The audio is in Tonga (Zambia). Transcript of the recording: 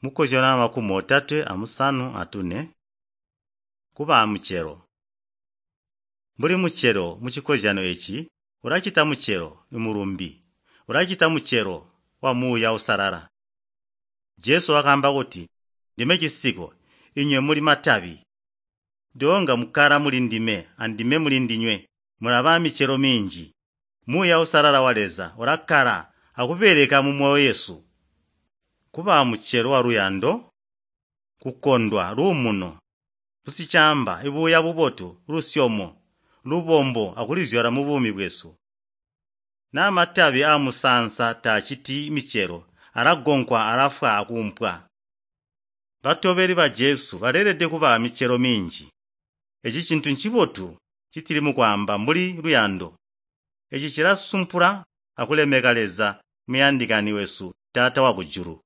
Mukozyano 34 kuba amucelo. Mbuli mucelo mucikozyano eci, ulacita mucelo imulumbi, ulacita mucelo wa Muuya Uusalala. Jesu wakaamba kuti, Ndime cisiko, inywe muli matabi. Doonga mukkala muli ndime andime muli ndinywe, mulaba amicelo minji. Muuya Uusalala wa Leza ulakkala akubeleka mumoyo yesu. Kuba amucelo waluyando, kukondwa, luumuno, busicamba, ibuuya bubotu, lusyomo, lubombo akulizyala mubuumi bwesu. Naa matabi aamusaansa taaciti micelo, alagonkwa alafwa akuumpwa. Batobeli ba Jesu baleelede kuba amicelo minji. Eci cintu ncibotu ncitili mukwaamba mbuli luyando. Eci cilasumpula akulemeka Leza muyandikani wesu Taata wakujulu.